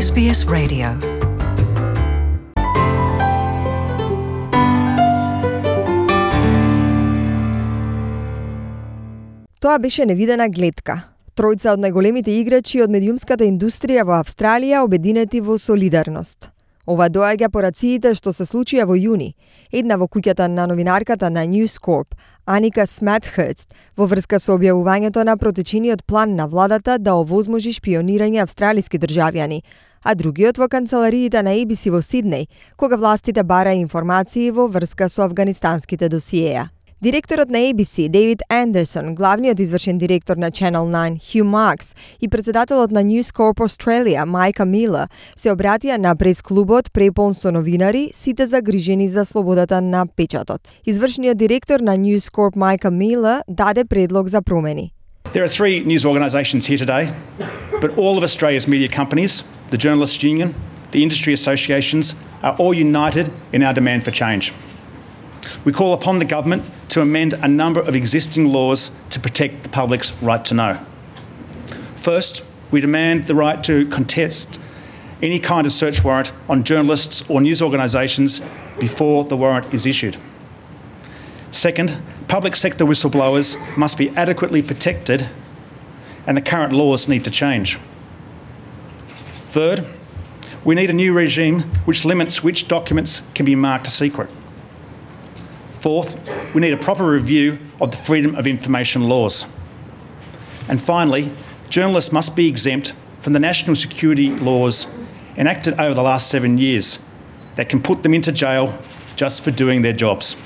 SBS Radio. Тоа беше невидена гледка. Тројца од најголемите играчи од медиумската индустрија во Австралија обединети во солидарност. Ова доаѓа по рациите што се случија во јуни, една во куќата на новинарката на News Corp, Аника Сматхерст, во врска со објавувањето на протечениот план на владата да овозможи шпионирање австралиски државјани, а другиот во канцелариите на ABC во Сиднеј, кога властите бараа информации во врска со афганистанските досиеа. Директорот на ABC, Дейвид Андерсон, главниот извршен директор на Channel 9, Hugh Marks, и председателот на News Corp Australia, Майка Милер, се обратија на прес-клубот преполн со новинари, сите загрижени за слободата на печатот. Извршниот директор на News Corp, Майка Милер, даде предлог за промени. There are three news organisations here today, but all of Australia's media companies, the Journalists Union, the industry associations, are all united in our demand for change. We call upon the government to amend a number of existing laws to protect the public's right to know. First, we demand the right to contest any kind of search warrant on journalists or news organisations before the warrant is issued. Second, public sector whistleblowers must be adequately protected and the current laws need to change. Third, we need a new regime which limits which documents can be marked secret. Fourth, we need a proper review of the freedom of information laws. And finally, journalists must be exempt from the national security laws enacted over the last 7 years that can put them into jail just for doing their jobs.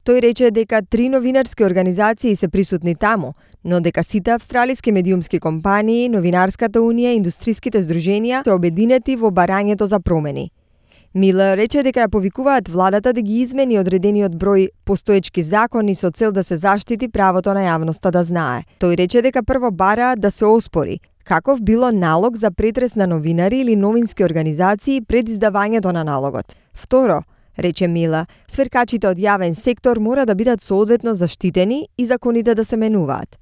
Тој рече дека 3 новинарски организации се присутни таму, но дека сите австралиски медиумски компании, Новинарската унија и индустриските здруженија се обединети во барањето за промени. Милер рече дека ја повикуваат владата да ги измени одредениот број постоечки закони со цел да се заштити правото на јавноста да знае. Тој рече дека прво бараат да се оспори каков било налог за претрес на новинари или новински организации пред издавањето на налогот. Второ, рече Мила, сверкачите од јавен сектор мора да бидат соодветно заштитени и законите да се менуваат.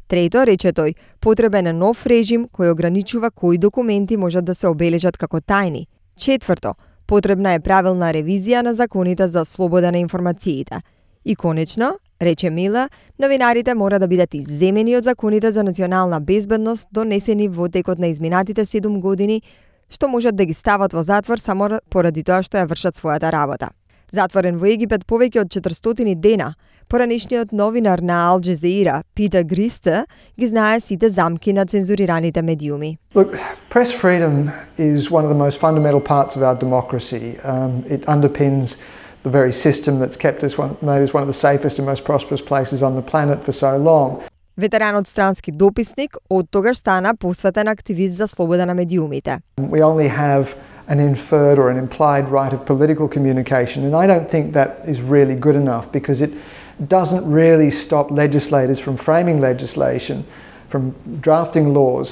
Трето, рече тој, потребен е нов режим кој ограничува кои документи можат да се обележат како тајни. Четврто, потребна е правилна ревизија на законите за слобода на информациите. И конечно, рече Мила, новинарите мора да бидат изземени од законите за национална безбедност донесени во текот на изминатите 7 години, што можат да ги стават во затвор само поради тоа што ја вршат својата работа. Затворен во Египет повеќе од 400 дена, поранешниот новинар на Ал Джазира, Питер Гристе, ги знае сите замки на цензурираните медиуми. Look, press freedom is one of the most fundamental parts of our democracy. It underpins the very system that's kept us made us one of the safest and most prosperous places on the planet for so long. Ветеранот странски дописник од тогаш стана посветен активист за слобода на медиумите. We only have an inferred or an implied right of political communication, and I don't think that is really good enough because it doesn't really stop legislators from framing legislation, from drafting laws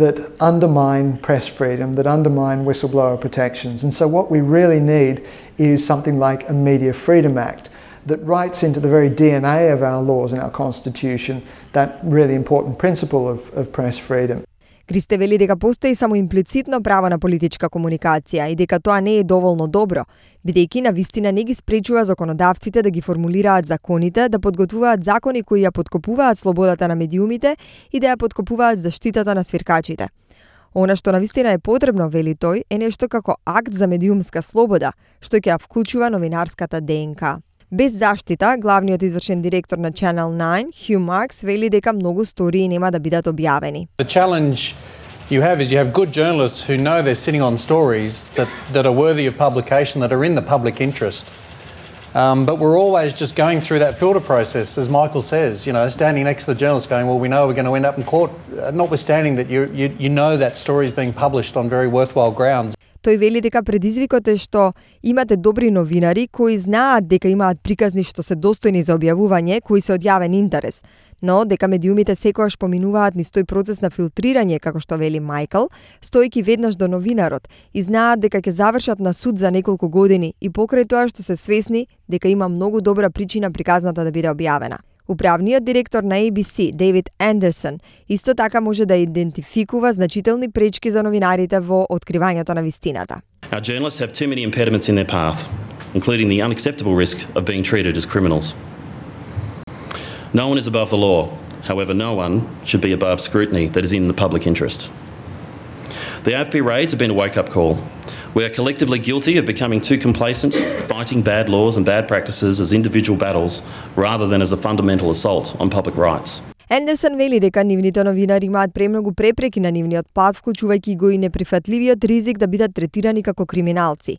that undermine press freedom, that undermine whistleblower protections. And so what we really need is something like a Media Freedom Act that writes into the very DNA of our laws and our constitution that really important principle of press freedom. Гристе вели дека постои само имплицитно право на политичка комуникација и дека тоа не е доволно добро, бидејќи на вистина не ги спречува законодавците да ги формулираат законите, да подготвуваат закони кои ја подкопуваат слободата на медиумите и да ја подкопуваат заштитата на свиркачите. Она што на вистина е потребно, вели тој, е нешто како акт за медиумска слобода, што ќе ја вклучува новинарската ДНК. Без заштита, главниот извршен директор на Channel 9, Hugh Marks, вели дека многу стории нема да бидат објавени. The challenge you have good journalists who know they're sitting on stories that are worthy of publication, that are in the public interest. But we're always just going through that filter process, as Michael says, standing next to the journalist going, well, we know we're going to end up in court, notwithstanding that you know that story is being published on very worthwhile grounds. Тој вели дека предизвикот е што имате добри новинари кои знаат дека имаат приказни што се достојни за објавување, кои се од јавен интерес, но дека медиумите секогаш поминуваат низ тој процес на филтрирање, како што вели Майкл, стојки веднаш до новинарот и знаат дека ќе завршат на суд за неколку години и покрај тоа што се свесни дека има многу добра причина приказната да биде објавена. Управниот директор на ABC, Дейвид Андерсон, исто така може да идентификува значителни пречки за новинарите во откривањето на вистината. Our journalists have too many impediments in their path, including the unacceptable risk of being treated as criminals. No one is above the law. However, no one should be above scrutiny that is in the public interest. The AFP raids have been a wake-up call. We are collectively guilty of becoming too complacent, fighting bad laws and bad practices as individual battles rather than as a fundamental assault on public rights. Ендерсон вели дека нивните новинари имаат премногу препреки на нивниот пат, вклучувајќи го и неприфатливиот ризик да бидат третирани како криминалци.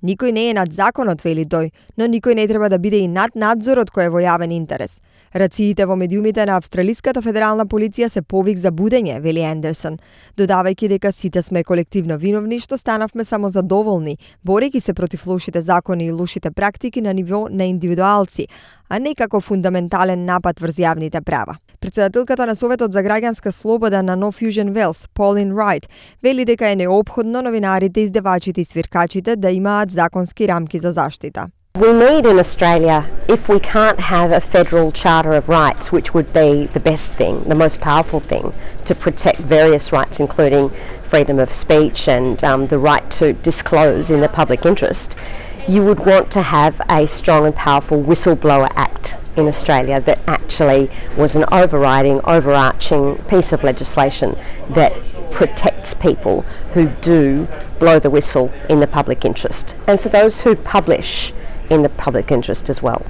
Никој не е над законот, вели тој, но никој не треба да биде и над надзорот кој е во јавен интерес. Рациите во медиумите на Австралиската федерална полиција се повик за будење, вели Андерсон, додавајќи дека сите сме колективно виновни што станавме само задоволни, борејќи се против лошите закони и лошите практики на ниво на индивидуалци, а не како фундаментален напад врз јавните права. Председателката на Советот за граѓанска слобода на No Fusion Wales, Pauline Wright, вели дека е неопходно новинарите, издавачите и свиркачите да имаат законски рамки за заштита. We need in Australia, if we can't have a federal charter of rights, which would be the best thing, the most powerful thing, to protect various rights, including freedom of speech and the right to disclose in the public interest, you would want to have a strong and powerful whistleblower act in Australia that actually was an overarching piece of legislation that protects people who do blow the whistle in the public interest, and for those who publish in the public interest as well.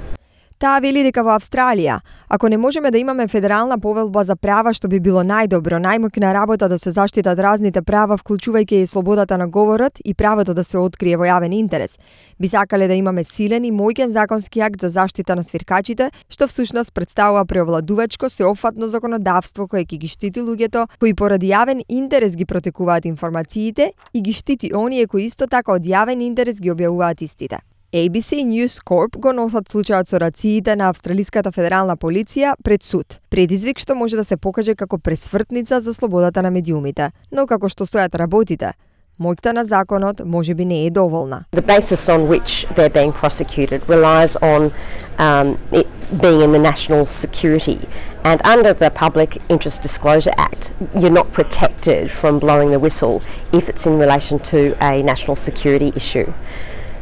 Таа вели дека во Австралија, ако не можеме да имаме федерална повелба за права што би било најдобро, најмоќна работа да се заштитат разните права, вклучувајќи и слободата на говорот и правото да се открие во јавен интерес, би сакале да имаме силен и моќен законски акт за заштита на свиркачите, што всушност представува преовладувачко сеопфатно законодавство кое ќе ги штити луѓето кои поради јавен интерес ги протекуваат информациите и ги штити оние кои исто така од јавен интерес ги објавуваат истите. ABC News Corp го носат случајот со рациите на Австралиската федерална полиција пред суд. Предизвик што може да се покаже како пресвртница за слободата на медиумите, но како што стојат работите, моќта на законот можеби не е доволна. The basis on which they're being prosecuted relies on it being in the national security, and under the Public Interest Disclosure Act, you're not protected from blowing the whistle if it's in relation to a national security issue.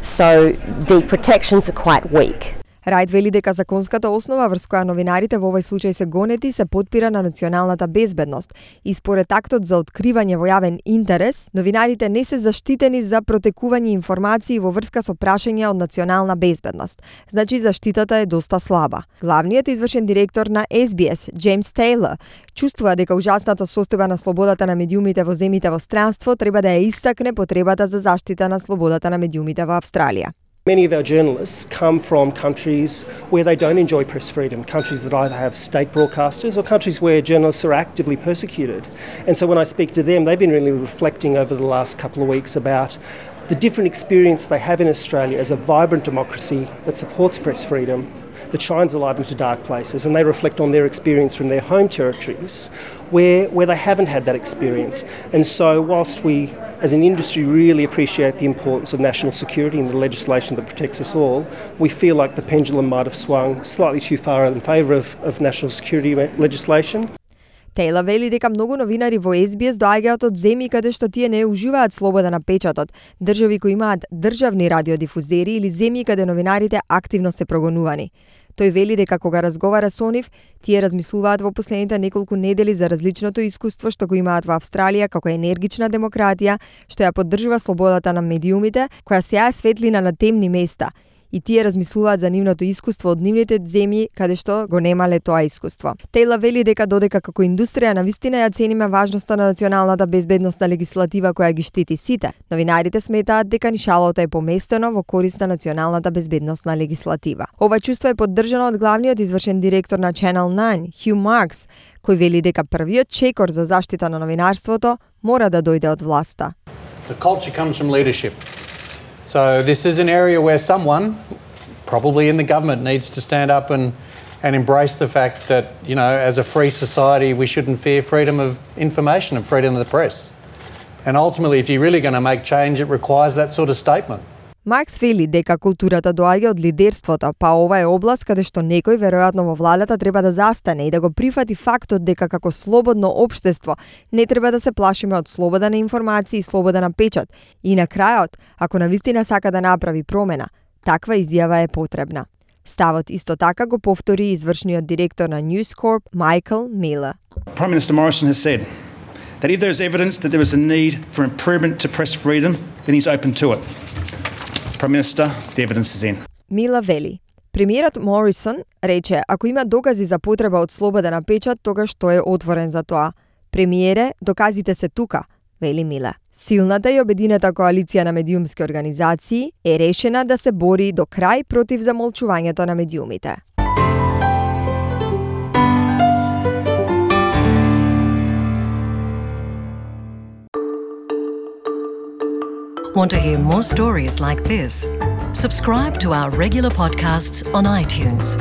So the protections are quite weak. Рајд вели дека законската основа врз која новинарите во овој случај се гонети се потпира на националната безбедност и според актот за откривање во јавен интерес, новинарите не се заштитени за протекување информации во врска со прашања од национална безбедност. Значи заштитата е доста слаба. Главниот извршен директор на SBS, Джеймс Тейлор, чувствува дека ужасната состојба на слободата на медиумите во земјите во странство треба да ја истакне потребата за заштита на слободата на медиумите во Австралија. Many of our journalists come from countries where they don't enjoy press freedom, countries that either have state broadcasters or countries where journalists are actively persecuted. And so when I speak to them, they've been really reflecting over the last couple of weeks about the different experience they have in Australia as a vibrant democracy that supports press freedom, that shines a light into dark places, and they reflect on their experience from their home territories where they haven't had that experience. And so whilst we as an industry really appreciate the importance of national security and the legislation that protects us all, we feel like the pendulum might have swung slightly too far in favour of national security legislation. Тейлор вели дека многу новинари во SBS доаѓаат од земји каде што тие не уживаат слобода на печатот, држави кои имаат државни радиодифузери или земји каде новинарите активно се прогонувани. Тој вели дека кога разговара со нив, тие размислуваат во последните неколку недели за различното искуство што го имаат во Австралија како енергична демократија, што ја поддржува слободата на медиумите, која сеја светлина на темни места. И тие размислуваат за нивното искуство од нивните земји каде што го немале тоа искуство. Тейлор вели дека додека како индустрија навистина ја цениме важноста на националната безбедносна легислатива која ги штити сите, новинарите сметаат дека нишалото е поместено во корист на националната безбедносна легислатива. Ова чувство е поддржано од главниот извршен директор на Channel 9, Hugh Marks, кој вели дека првиот чекор за заштита на новинарството мора да дојде од власта. The culture comes from leadership. So this is an area where someone, probably in the government, needs to stand up and embrace the fact that, you know, as a free society, we shouldn't fear freedom of information and freedom of the press. And ultimately, if you're really going to make change, it requires that sort of statement. Маркс вели дека културата доаѓа од лидерството, па ова е област каде што некој веројатно во владата треба да застане и да го прифати фактот дека како слободно општество не треба да се плашиме од слобода на информации и слобода на печат. И на крајот, ако навистина сака да направи промена, таква изјава е потребна. Ставот исто така го повтори извршниот директор на News Corp, Michael Miller. Prime Minister Morrison has said that if there is evidence that there is a need for improvement to press freedom, then he's open to it. Prime Minister, the evidence is in. Мила вели. Премиерот Морисон рече, ако има докази за потреба од слобода на печат, тогаш тој е отворен за тоа. Премиере, доказите се тука, вели Мила. Силната и обединета коалиција на медиумски организации е решена да се бори до крај против замолчувањето на медиумите. Want to hear more stories like this? Subscribe to our regular podcasts on iTunes.